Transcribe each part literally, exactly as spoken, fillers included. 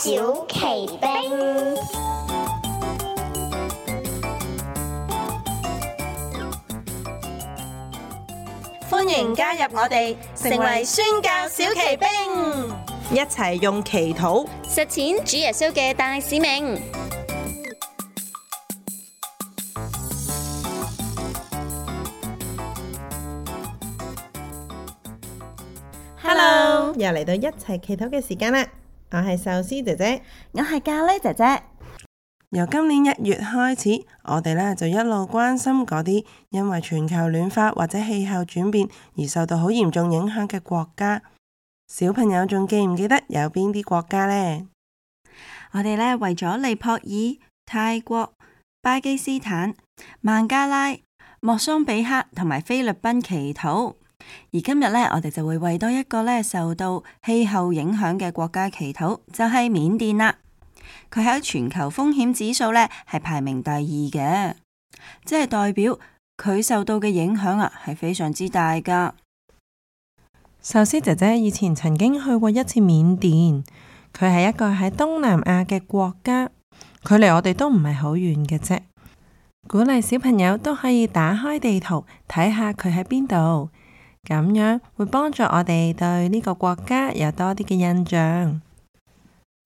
小奇兵。歡迎加入我哋，成為宣教小奇兵，一齊用祈禱實踐主耶穌嘅大使命。Hello，又嚟到一齊祈禱嘅時間啦！我係壽司姐姐，我係咖喱姐姐。由今年一月開始，我哋咧就一路關心嗰啲因為全球暖化或者氣候轉變而受到好嚴重影響嘅國家。小朋友仲記唔記得有邊啲國家呢？我哋咧為咗尼泊爾、泰國、巴基斯坦、孟加拉、莫桑比克同埋菲律賓祈禱。而今日咧，我哋就會為多一個咧受到氣候影響嘅國家祈禱，就係緬甸啦。佢喺全球風險指數咧係排名第二嘅，即係代表佢受到嘅影響啊係非常之大噶。壽司姐姐以前曾經去過一次緬甸，佢係一個喺東南亞嘅國家，距離我哋都唔係好遠嘅啫。鼓勵小朋友都可以打開地圖睇下佢喺邊度，咁樣會幫助我哋對呢個國家有多啲嘅印象。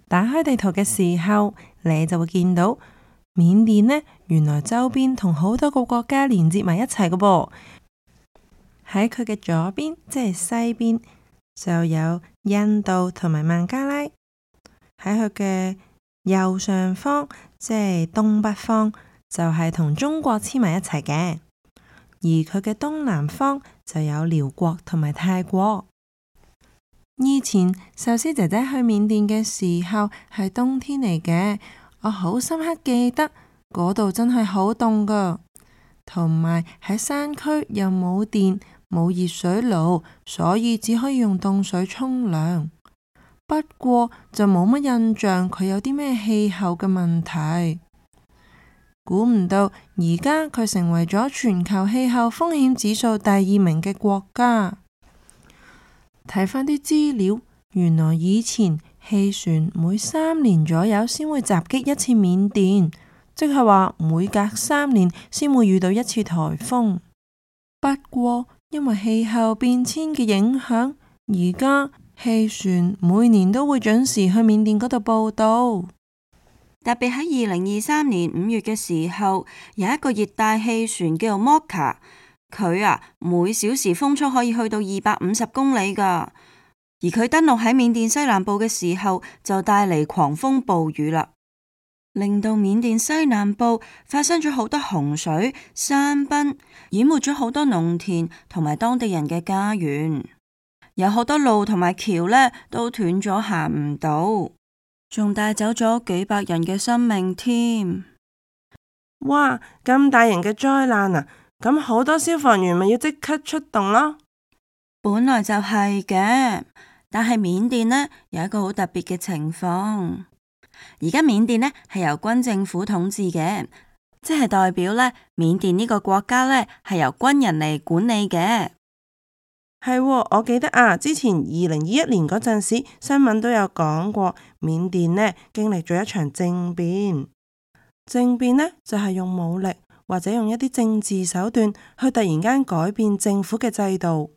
打開地圖嘅時候，你就會見到緬甸呢，原來周邊同好多個國家連接埋一齊嘅噃。喺佢嘅左邊，即係西邊，就有印度同埋孟加拉；喺佢嘅右上方，即係東北方，就係同中國黐埋一齊嘅。而佢嘅東南方就有寮國同埋泰國。以前壽司姐姐去緬甸嘅時候係冬天嚟嘅，我好深刻記得嗰度真係好凍噶，同埋喺山區又冇電冇熱水爐，所以只可以用凍水沖涼。不過就冇乜印象佢有啲咩氣候嘅問題。估唔到而家佢成為咗全球氣候風險指數第二名嘅國家。睇返啲資料，原來以前氣旋每三年左右先會襲擊一次緬甸，即係話每隔三年先會遇到一次颱風。不過因為氣候變遷嘅影響，而家氣旋每年都會準時去緬甸嗰度報到。特別喺二零二三年五月嘅時候，有一個熱帶氣旋叫做 Mocha。佢啊，每小時風速可以去到二百五十公里噶，而佢登陸喺緬甸西南部嘅時候，就帶嚟狂風暴雨啦，令到緬甸西南部發生咗好多洪水、山崩，淹沒咗好多農田同埋當地人嘅家園，有好多路同埋橋呢都斷咗，行唔到，仲帶走咗幾百人嘅生命添。哇！咁大型嘅災難啊！咁好多消防員咪要即刻出動咯。本來就係嘅，但係緬甸呢有一個好特別嘅情況。而家緬甸呢係由軍政府統治嘅，即係代表呢緬甸呢個國家呢係由軍人嚟管理嘅。係喎，我記得啊，之前二零二一年嗰陣時，新聞都有講過，緬甸呢經歷咗一場政變。政變呢就係用武力，或者用一啲政治手段去突然間改變政府嘅制度，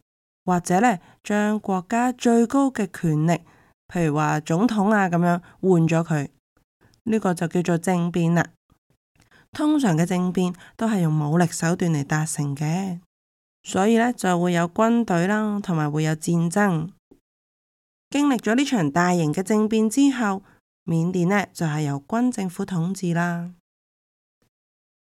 或者呢將國家最高嘅權力，譬如話總統啊咁樣換咗佢，呢個就叫做政變啦。通常嘅政變都係用武力手段嚟達成嘅，所以呢就會有軍隊啦，同埋會有戰爭。經歷咗呢場大型嘅政變之後，緬甸呢就係由軍政府統治啦。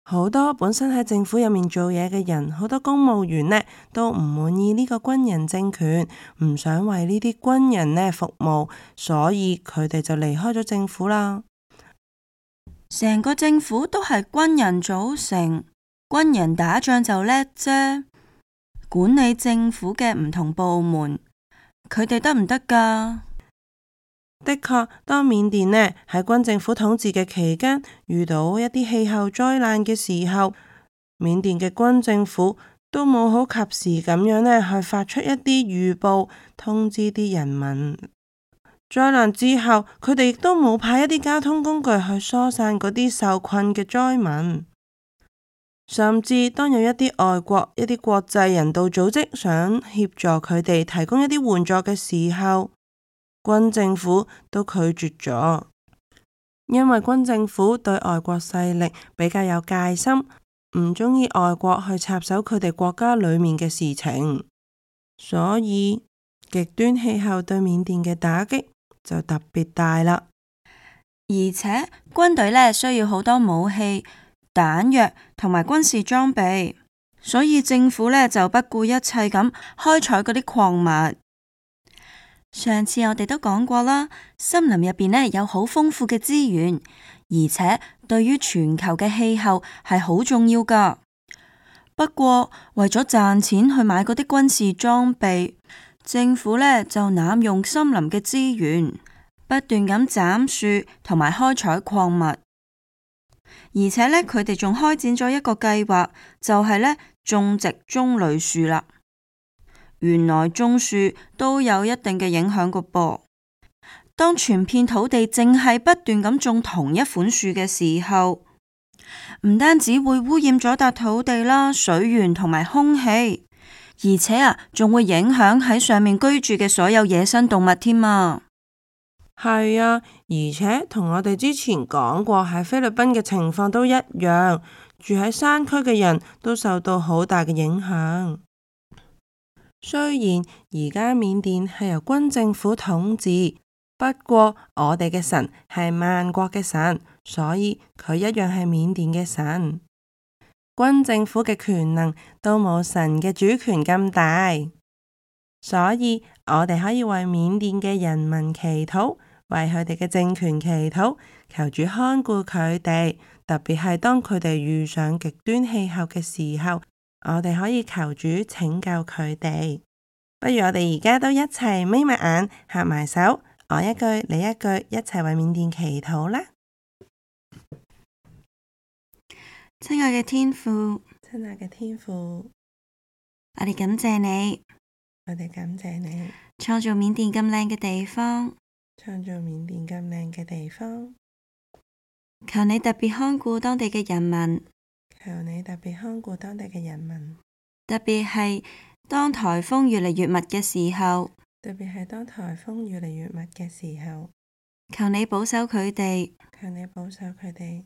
好多本身喺政府入面做嘢嘅人，好多公務員呢都唔滿意呢個軍人政權，唔想為呢啲軍人呢服務，所以佢哋就離開咗政府啦。成個政府都係軍人組成，軍人打仗就叻啫。管理政府嘅唔同部門，佢哋得唔得㗎？的確，當緬甸呢喺軍政府統治嘅期間，遇到一啲氣候災難嘅時候，緬甸嘅軍政府都冇好及時咁樣呢去發出一啲預報，通知啲人民。災難之後，佢哋亦都冇派一啲交通工具去疏散嗰啲受困嘅災民。甚至當有一啲外國、一啲國際人道組織想協助佢哋提供一啲援助嘅時候，軍政府都拒絕咗，因為軍政府對外國勢力比較有戒心，唔鍾意外國去插手佢哋國家裏面嘅事情，所以極端氣候對緬甸嘅打擊就特別大啦。而且軍隊呢需要好多武器、彈藥同埋軍事裝備，所以政府呢就不顧一切咁開採嗰啲礦物。上次我哋都講過啦，森林入邊呢有好豐富嘅資源，而且對於全球嘅氣候係好重要噶。不過為咗賺錢去買嗰啲軍事裝備，政府呢就濫用森林嘅資源，不斷咁斬樹同埋開採礦物，而且呢，佢哋仲開展咗一個計劃，就係呢種植棕櫚樹啦。原來種樹都有一定嘅影響個噃。當全片土地淨係不斷咁種同一款樹嘅時候，唔單止會污染咗笪土地啦、水源同埋空氣，而且啊，仲會影響喺上面居住嘅所有野生動物添啊。係啊，而且同我哋之前講過喺菲律賓嘅情況都一樣，住喺山區嘅人都受到好大嘅影響。雖然而家緬甸係由軍政府統治，不過我哋嘅神係萬國嘅神，所以佢一樣係緬甸嘅神。軍政府嘅權能都冇神嘅主權咁大，所以我哋可以為緬甸嘅人民祈禱，為佢哋嘅政權祈禱，求主看顧佢哋，特別係當佢哋遇上極端氣候嘅時候，我哋可以求主拯救佢哋。不如我哋而家都一齊眯埋眼，合埋手，我一句你一句，一齊為緬甸祈禱啦。親愛嘅天父，親愛嘅天父，我哋感謝你，我哋感謝你創造緬甸咁靚嘅地方，創造緬甸咁靚嘅地方。求你特別看顧當地嘅人民，求你特別看顧當地嘅人民，特別係當颱風越嚟越密嘅時候，特別係當颱風越嚟越密嘅時候，求你保守佢哋，求你保守佢哋，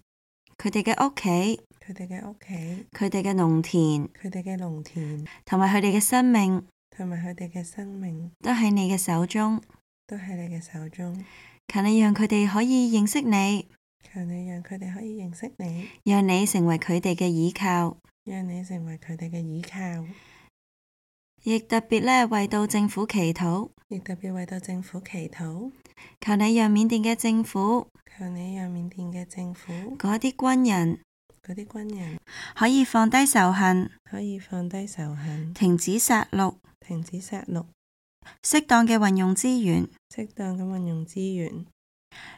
佢哋嘅屋企，佢哋嘅屋企，佢哋嘅農田，佢哋嘅農田，同埋佢哋嘅生命，同埋佢哋嘅生命，都喺你嘅手中，都喺你嘅手中。求你讓佢哋可以認識你，求你讓佢哋可以認識你，讓你成為佢哋嘅依靠，讓你成為佢哋嘅依靠。亦特別呢為到政府祈禱，亦特別為到政府祈禱。求你讓緬甸嘅政府，求你讓緬甸嘅政府嗰啲軍人，嗰啲軍人可以放低仇恨，可以放低仇恨，停止殺戮，停止殺戮，適當嘅運用資源，適當咁運用資源，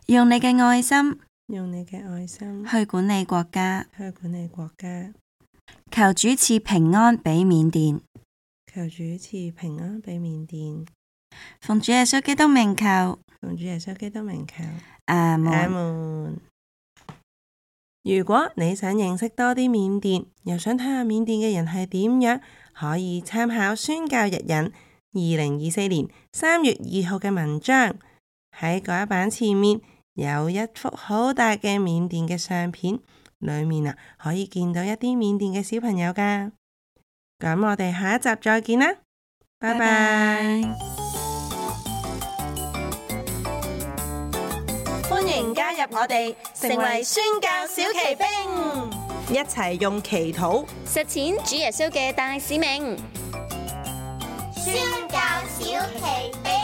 用你嘅愛心，用你嘅愛心去管理國家，去管理國家。求主賜平安俾緬甸，求主賜平安俾緬甸。奉主耶穌基督名求，奉主耶穌基督名求。阿門。阿門。如果你想認識多啲緬甸，又想睇下緬甸嘅人係點樣，可以參考宣教日引二零二四年三月二號嘅文章。喺嗰一版前面有一幅好大嘅緬甸嘅相片，裏面啊可以見到一啲緬甸嘅小朋友㗎。咁我哋下一集再見啦，拜拜。歡迎加入我哋，成為宣教小騎兵，一齊用祈禱實踐主耶穌嘅大使命。宣教小奇兵。